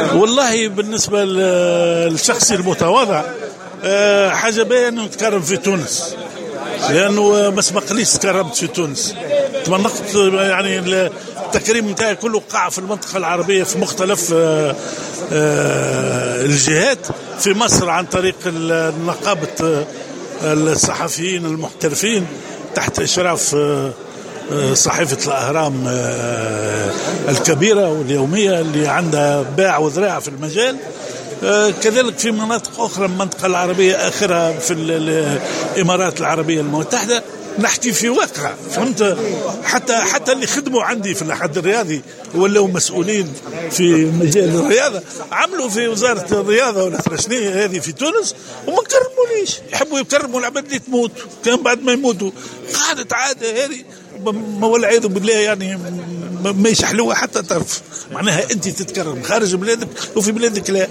والله بالنسبة للشخص المتواضع، حاجة باهية أنه نتكرم في تونس، لأنه ما سبقليش تكرمت في تونس. تمنقت يعني التكريم نتاعي كله قع في المنطقة العربية في مختلف الجهات، في مصر عن طريق نقابة الصحفيين المحترفين تحت إشراف صحيفة الأهرام الكبيرة واليومية اللي عندها باع وذراع في المجال، كذلك في مناطق أخرى من المنطقة العربية، آخرها في الإمارات العربية المتحدة. نحكي في واقع، فهمت؟ حتى اللي خدموا عندي في الأحد الرياضي ولاو مسؤولين في مجال الرياضة، عملوا في وزارة الرياضة ولا شنو هذه في تونس وما كرمونيش. يحبوا يكرموا العباد اللي تموت، كان بعد ما يموتوا قعدت عادة هذه ما والعياذ بالله، يعني ما يشحلوها حتى طرف. معناها أنت تتكرم خارج بلادك وفي بلادك لا.